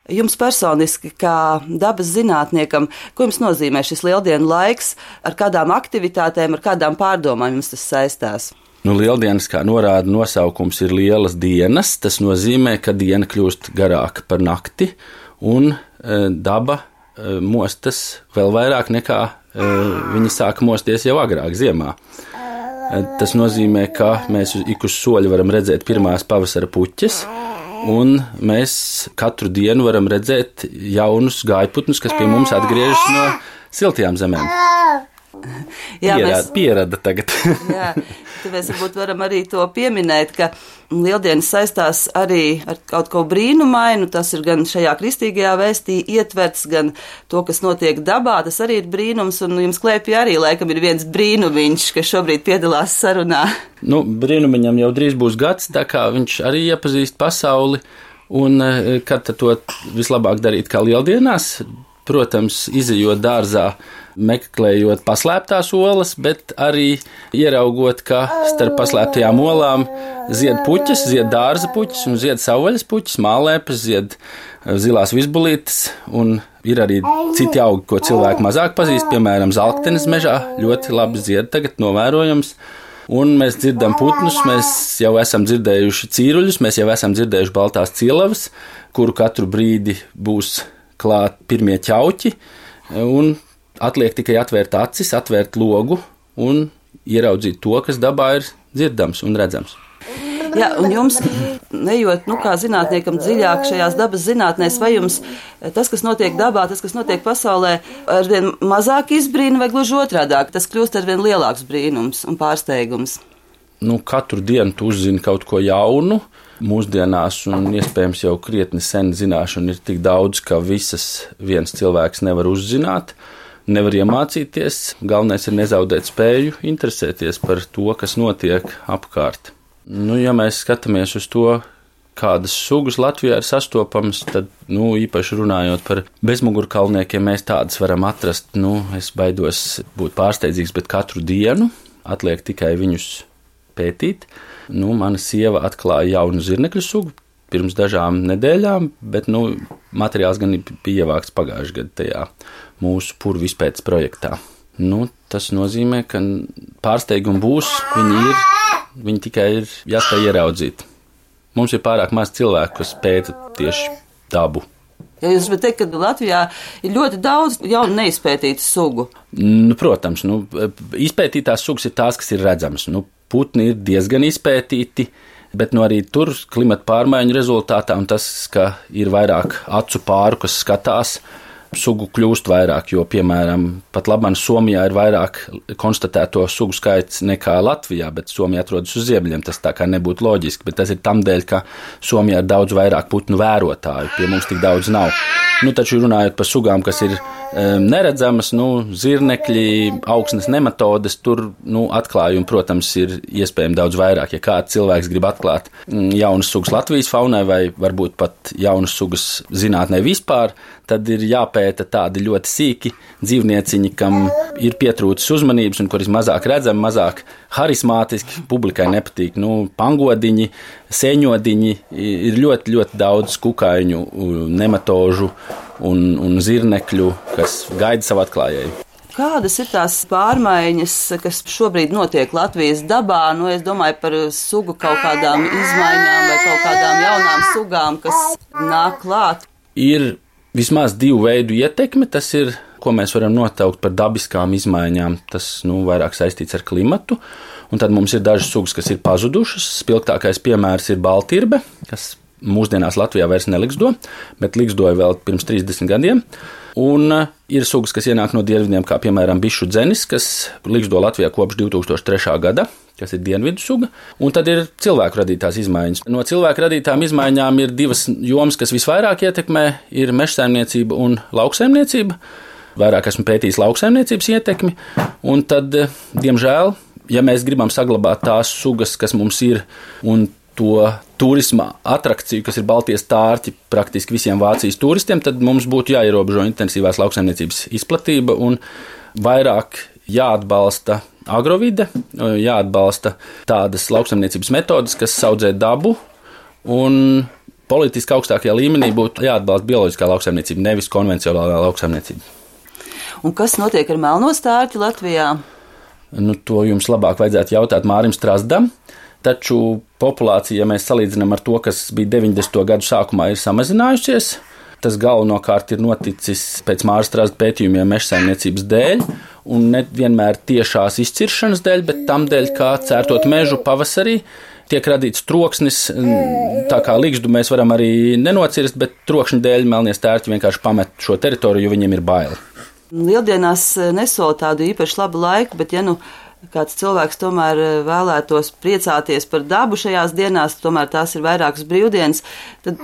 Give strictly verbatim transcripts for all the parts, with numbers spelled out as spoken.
Jums personiski, kā dabas zinātniekam, ko jums nozīmē šis lieldienu laiks, ar kādām aktivitātēm, ar kādām pārdomām jums tas saistās? Nu, lieldienas, kā norāda nosaukums, ir lielas dienas. Tas nozīmē, ka diena kļūst garāka par nakti, un e, daba e, mostas vēl vairāk nekā e, viņi sāka mosties jau agrāk ziemā. E, tas nozīmē, ka mēs ik uz soļa varam redzēt pirmās pavasara puķes, un mēs katru dienu varam redzēt jaunus gājputnus, kas pie mums atgriežas no siltajām zemēm. Jā, Pierāda, mēs, pierada tagad. Jā, tad mēs varbūt varam arī to pieminēt, ka lieldienas saistās arī ar kaut ko brīnumainu. Tas ir gan šajā kristīgajā vēstī ietverts, gan to, kas notiek dabā. Tas arī ir brīnums, un jums klēpī arī laikam ir viens brīnumiņš, kas šobrīd piedalās sarunā. Nu, brīnumiņam jau drīz būs gads, tā kā viņš arī iepazīst pasauli, un kad to vislabāk darīt kā lieldienās, protams, izejot dārzā, meklējot paslēptās olas, bet arī ieraugot, ka starp paslēptajām olām zied puķes, zied dārza puķes un zied savvaļas puķes, mālēpes, zied zilās vizbulītes, un ir arī citi augi, ko cilvēki mazāk pazīst, piemēram, zalktenes mežā ļoti labi zied tagad novērojams. Un mēs dzirdam putnus, mēs jau esam dzirdējuši cīruļus, mēs jau esam dzirdējuši baltās cielavas, kuru katru brīdi būs klāt pirmie ķauķi, un atliek tikai atvērt acis, atvērt logu un ieraudzīt to, kas dabā ir dzirdams un redzams. Jā, un jums, nejot, nu, kā zinātniekam dziļāk šajās dabas zinātnēs, vai jums tas, kas notiek dabā, tas, kas notiek pasaulē, arvien mazāk izbrīna vai gluži otrādāk, tas kļūst arvien lielāks brīnums un pārsteigums? Nu, katru dienu tu uzzini kaut ko jaunu. Mūsdienās, un iespējams jau krietni sen zināšana ir tik daudz, ka visas viens cilvēks nevar uzzināt, nevar iemācīties. Galvenais ir nezaudēt spēju interesēties par to, kas notiek apkārt. Nu, ja mēs skatāmies uz to, kādas sugas Latvijā ir sastopamas, tad, nu, īpaši runājot par bezmugurkalniekiem, mēs tādas varam atrast. Nu, es baidos būt pārsteidzīgs, bet katru dienu atliek tikai viņus pētīt. Nu, mana sieva atklāja jaunu zirnekļu sugu pirms dažām nedēļām, bet, nu, materiāls gan bija ievākts pagājušajā gadā tajā mūsu purvu izpētes projektā. Nu, tas nozīmē, ka pārsteigumi būs, viņi ir, viņi tikai ir jāspēj ieraudzīt. Mums ir pārāk maz cilvēku, kas pēta tieši dabu. Ja jūs varat teikt, ka Latvijā ir ļoti daudz jaunu neizpētītu sugu. Nu, protams, nu, izpētītās sugas ir tās, kas ir redzamas. Nu, putni ir diezgan izpētīti, bet nu, arī tur klimata pārmaiņu rezultātā un tas, ka ir vairāk acu pāru, kas skatās, sugu kļūst vairāk, jo, piemēram, pat labāk Somijā ir vairāk konstatēto sugu skaits nekā Latvijā, bet Somija atrodas uz ziemeļiem. Tas tā kā nebūtu loģiski, bet tas ir tam dēļ, ka Somijā ir daudz vairāk putnu vērotāju, pie mums tik daudz nav. Nu, taču runājot par sugām, kas ir um, neredzamas, nu, zirnekļi, augsnes nematodes, tur, nu, atklājumi, protams, ir iespējami daudz vairāk. Ja kāds cilvēks grib atklāt mm, jaunas sugas Latvijas faunai vai varbūt pat jaunas sugas zinātnē vispār, tad ir jāpēta tādi ļoti sīki dzīvnieciņi, kam ir pietrūcis uzmanības un kuri mazāk redzami, mazāk harismātiski, publikai nepatīk. Nu, pangodiņi, sēņodiņi, ir ļoti, ļoti daudz kukaiņu, nematožu un, un zirnekļu, kas gaida savu atklājēju. Kādas ir tās pārmaiņas, kas šobrīd notiek Latvijas dabā? Nu, es domāju par sugu kaut kādām izmaiņām vai kaut kādām jaunām sugām, kas nāk klāt. Ir vismaz divu veidu ietekme, tas ir, ko mēs varam notaukt par dabiskām izmaiņām, tas, nu, vairāk saistīts ar klimatu, un tad mums ir dažas sugas, kas ir pazudušas. Spilgtākais piemērs ir baltirbe, kas mūsdienās Latvijā vairs neliksto, bet likstoja vēl pirms trīsdesmit gadiem, un ir sugas, kas ienāk no dienvidiem, kā piemēram bišu dzenis, kas liksto Latvijā kopš divi tūkstoši trešā gada, kas ir dienvidu suga, un tad ir cilvēku radītās izmaiņas. No cilvēku radītām izmaiņām ir divas jomas, kas visvairāk ietekmē, ir mežsaimniecība un lauksaimniecība. Vairāk esmu pētījis lauksaimniecības ietekmi, un tad, diemžēl, ja mēs gribam saglabāt tās sugas, kas mums ir, un to turisma atrakciju, kas ir baltie stārķi praktiski visiem Vācijas turistiem, tad mums būtu jāierobežo intensīvās lauksaimniecības izplatība un vairāk jāatbalsta agrovide, jāatbalsta tādas lauksaimniecības metodas, kas audzē dabu un politiski augstākajā līmenī būtu jāatbalsta bioloģiskā lauksaimniecība, nevis konvencionālā lauksaimniecība. Un kas notiek ar melno stārķi Latvijā? Nu, to jums labāk vajadzētu jautāt Mārim Strazdam, taču populācija, ja mēs salīdzinām ar to, kas bija deviņdesmito gadu sākumā, ir samazinājusies. Tas galvenokārt ir noticis pēc Māra Strazda pētījumiem mežsaimniecības dēļ, un ne vienmēr tiešās izciršanas dēļ, bet tam dēļ, kā cērtot mežu pavasarī, tiek radīts troksnis, tā kā ligzdu mēs varam arī nenocirst, bet trokšņa dēļ melnie stērķi vienkārši pamet šo teritoriju, jo viņiem ir baili. Lieldienās nesola tādu īpaši labu laiku, bet ja nu kāds cilvēks tomēr vēlētos priecāties par dabu šajās dienās, tomēr tās ir vairākas brīvdienas, tad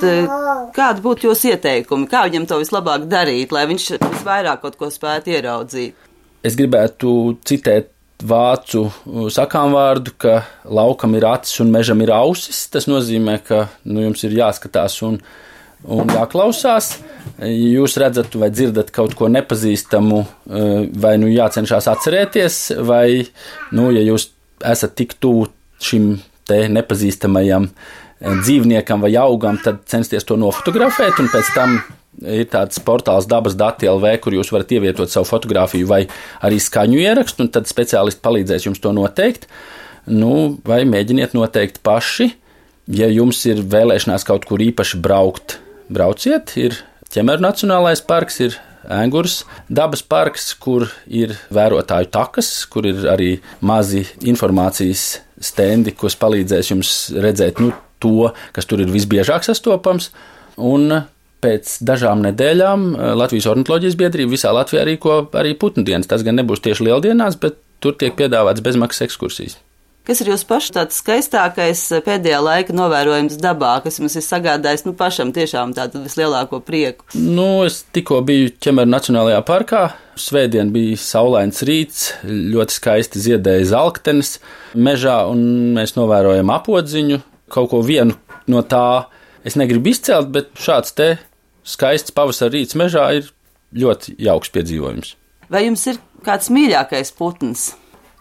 kādi būtu jūs ieteikumi? Kā viņam to vislabāk darīt, lai viņš visvairāk kaut ko spētu ieraudzīt? Es gribētu citēt vācu sakāmvārdu, ka laukam ir acis un mežam ir ausis. Tas nozīmē, ka nu, jums ir jāskatās un, un jāklausās. Jūs redzat vai dzirdat kaut ko nepazīstamu, vai nu jācenšas atcerēties, vai, nu, ja jūs esat tik tuvu šim te nepazīstamajam dzīvniekam vai augam, tad censties to nofotografēt, un pēc tam ir tāds portāls dabas dati L V, kur jūs varat ievietot savu fotografiju vai arī skaņu ierakstu, un tad speciālisti palīdzēs jums to noteikt. Nu, vai mēģiniet noteikt paši, ja jums ir vēlēšanās kaut kur īpaši braukt, brauciet, ir Ķemeru Nacionālais parks, ir Ēngures dabas parks, kur ir vērotāju takas, kur ir arī mazi informācijas stendi, kas palīdzēs jums redzēt nu, to, kas tur ir visbiežāk sastopams. Un pēc dažām nedēļām Latvijas ornitoloģijas biedrība visā Latvijā rīko arī putnu dienas. Tas gan nebūs tieši lieldienās, bet tur tiek piedāvāts bezmaksas ekskursijas. Kas ir jūsu pašu tāds skaistākais pēdējā laika novērojums dabā, kas jums ir sagādājis nu, pašam tiešām tādu vislielāko prieku? Nu, es tikko biju Ķemeru Nacionālajā parkā. Svētdien bija saulains rīts, ļoti skaisti ziedēja zalktenes mežā, un mēs novērojam apodziņu. Kaut ko vienu no tā es negribu izcelt, bet šāds te skaists pavasara rīts mežā ir ļoti jauks piedzīvojums. Vai jums ir kāds mīļākais putns?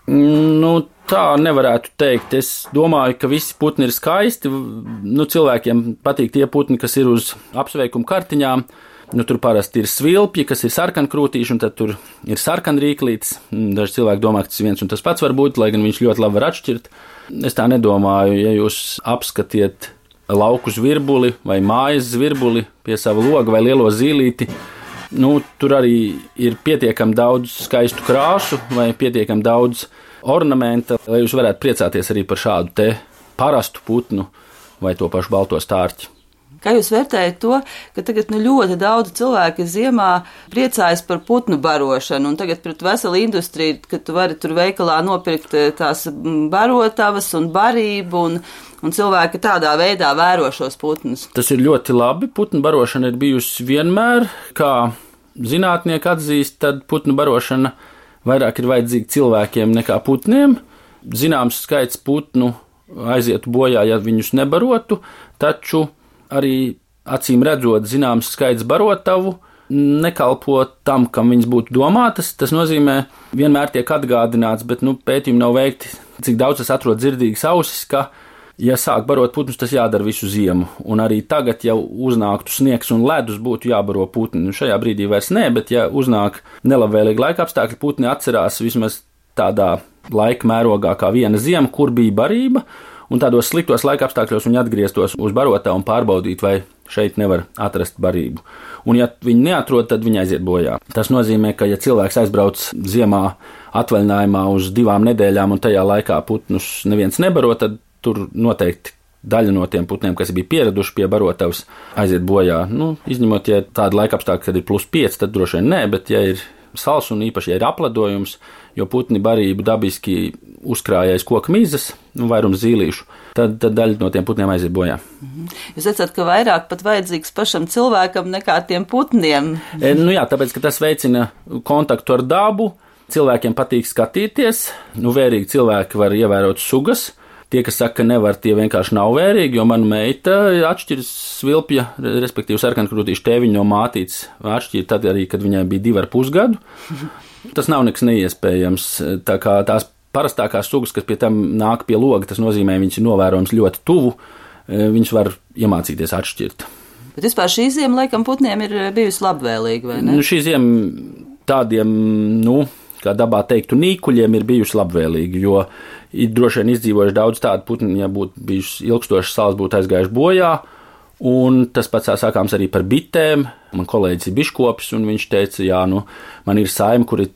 Nu, tā nevarētu teikt. Es domāju, ka visi putni ir skaisti. Nu, cilvēkiem patīk tie putni, kas ir uz apsveikumu kartiņām. Nu, tur parasti ir svilpji, kas ir sarkankrūtīši, un tad tur ir sarkanrīklītis. Daži cilvēki domā, ka tas viens un tas pats var būt, lai gan viņš ļoti labi var atšķirt. Es tā nedomāju. Ja jūs apskatiet lauku zvirbuli vai mājas zvirbuli pie sava loga vai lielo zīlīti, nu, tur arī ir pietiekami daudz skaistu krāsu vai pietiekami daudz ornamenta, lai jūs varētu priecāties arī par šādu te parastu putnu vai to pašu balto stārķi. Kā jūs vērtējat to, ka tagad nu, ļoti daudz cilvēki ziemā priecājas par putnu barošanu, un tagad pret veselu industriju, ka tu vari tur veikalā nopirkt tās barotavas un barību, un, un cilvēki tādā veidā vēro šos putnus? Tas ir ļoti labi. Putnu barošana ir bijusi vienmēr, kā zinātnieki atzīst, tad putnu barošana vairāk ir vajadzīga cilvēkiem nekā putniem. Zināms skaits putnu aizietu bojā, ja viņus nebarotu, taču arī acīm redzot zināms skaits barotavu nekalpo tam, kam viņas būtu domātas. Tas nozīmē, vienmēr tiek atgādināts, bet nu, pētījumi nav veikti, cik daudz es atrodu dzirdīgas ausis, ka, ja sāk barot putnus, tas jādara visu ziemu. Un arī tagad, ja uznāktu sniegs un ledus, būtu jābaro putni. Nu, šajā brīdī vairs nē, bet ja uznāk nelabvēlīgi laika apstākļi, putni atcerās vismaz tādā laika mērogā kā viena ziema, kur bija barība, un tādos sliktos laika apstākļos viņi atgrieztos uz barotavu un pārbaudīt, vai šeit nevar atrast barību. Un ja viņi neatrod, tad viņi aiziet bojā. Tas nozīmē, ka ja cilvēks aizbrauc ziemā atvaļinājumā uz divām nedēļām un tajā laikā putnus neviens nebaro, tad tur noteikti daļa no tiem putniem, kas bija pieraduši pie barotavas, aiziet bojā. Nu, izņemot, ja tāda laika apstākļa, kad ir plus pieci, tad droši vien nē, bet ja ir sals un īpaši, ja ir apledojums, jo putni barību dabiski uzkrājais koku mizas, nu, vairums zīlīšu, tad, tad daļa no tiem putniem aiziet bojā. Jūs redzat, ka vairāk pat vajadzīgs pašam cilvēkam nekā tiem putniem? E, nu jā, tāpēc, ka tas veicina kontaktu ar dabu, cilvēkiem patīk skatīties, nu, vērīgi cilvēki var ievērot sugas. Tie, kas saka, ka nevar, tie vienkārši nav vērīgi, jo mana meita atšķiras svilpja, respektīvi sarkankrūtīšu tēviņu no mātītes, atšķīra tad arī, kad viņai bija divi ar pusgadu. Tas nav nekas neiespējams. Tā kā tās parastākās sugas, kas pie tam nāk pie loga, tas nozīmē, viņas ir novērojams ļoti tuvu. viņus var iemācīties atšķirt. Bet vispār šī ziema laikam putniem ir bijusi labvēlīga, vai ne? Nu, šī ziema tādiem, nu, kā dabā teiktu, nīkuļiem ir bijusi labvēlīga, jo ir droši vien izdzīvojuši daudz tādu putni, ja būtu bijusi ilgstošas salas, būtu aizgājuši bojā. Un tas pats sākāms arī par bitēm. Man kolēģis ir biškopis, un viņš teica, jā, nu, man ir saime, kur ir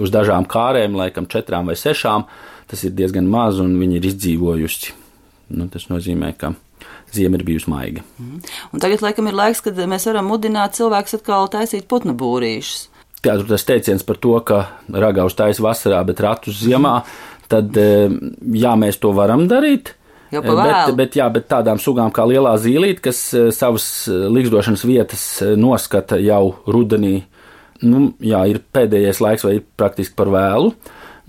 uz dažām kārēm, laikam četrām vai sešām, tas ir diezgan maz, un viņi ir izdzīvojusi. Nu, tas nozīmē, ka ziema ir bijusi maiga. Un tagad, laikam, ir laiks, kad mēs varam mudināt cilvēkus atkal taisīt putnu būrīšus. Tā tur tas teiciens par to, ka ragavus taisa vasarā, bet ratus ziemā, tad jā, mēs to varam darīt. Bet, bet, jā, bet tādām sugām kā lielā zīlīte, kas savas ligzdošanas vietas noskata jau rudenī, nu, jā, ir pēdējais laiks vai ir praktiski par vēlu.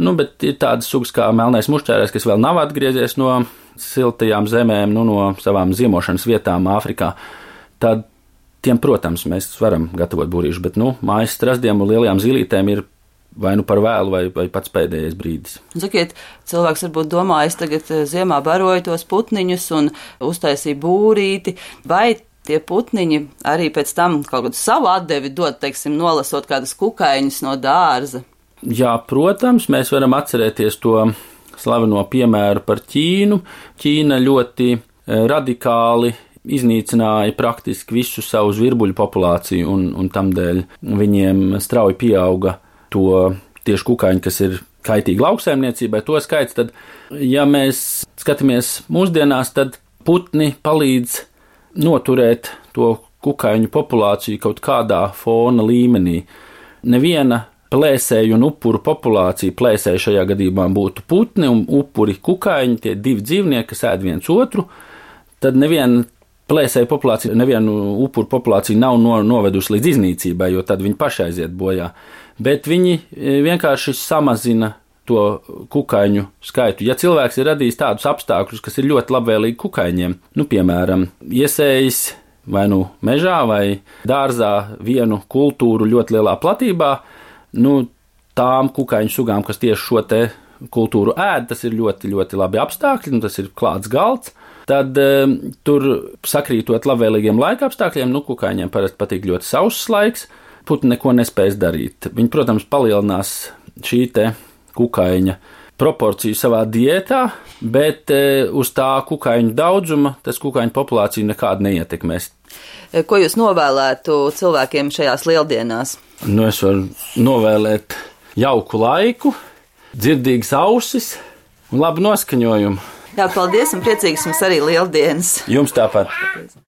Nu, bet ir tādas sugas kā melnais mušķērēs, kas vēl nav atgriezies no siltajām zemēm, nu, no savām ziemošanas vietām Āfrikā. Tad tiem, protams, mēs varam gatavot būrīšu, bet, nu, mājas strazdiem un lielajām zīlītēm ir vai nu par vēlu, vai, vai pats pēdējais brīdis. Sakiet, cilvēks varbūt domā, es tagad ziemā baroju tos putniņus un uztaisīju būrīti, vai tie putniņi arī pēc tam kaut kādu savu atdevi dod, teiksim, nolasot kādus kukaiņus no dārza? Jā, protams, mēs varam atcerēties to slaveno piemēru par Ķīnu. Ķīna ļoti radikāli iznīcināja praktiski visu savu zvirbuļu populāciju, un, un tamdēļ viņiem strauji pieauga to tieši kukaiņu, kas ir kaitīgi lauksaimniecībai, to skaits, tad, ja mēs skatāmies mūsdienās, tad putni palīdz noturēt to kukaiņu populāciju kaut kādā fona līmenī. Neviena plēsēju un upuru populācija, plēsēju šajā gadījumā būtu putni un upuri kukaiņi, tie divi dzīvnieki, kas ēd viens otru, tad neviena plēsēju populācija, nevienu upuru populāciju nav no, novedusi līdz iznīcībai, jo tad viņi paši aiziet bojā. Bet viņi vienkārši samazina to kukaiņu skaitu. Ja cilvēks ir radījis tādus apstākļus, kas ir ļoti labvēlīgi kukaiņiem, nu, piemēram, iesējis vai nu mežā vai dārzā vienu kultūru ļoti lielā platībā, nu, tām kukaiņu sugām, kas tieši šo te kultūru ēd, tas ir ļoti, ļoti labi apstākļi, nu, tas ir klāts galds, tad um, tur sakrītot labvēlīgiem laika apstākļiem, nu, kukaiņiem parasti patīk ļoti sauss laiks, putni neko nespēs darīt. Viņi, protams, palielinās šī te kukaiņa proporciju savā diētā, bet e, uz tā kukaiņu daudzuma tas kukaiņu populāciju nekādu neietekmēs. Ko jūs novēlētu cilvēkiem šajās lieldienās? Nu, es varu novēlēt jauku laiku, dzirdīgas ausis un labu noskaņojumu. Jā, paldies un priecīgas jums arī lieldienas. Jums tāpat.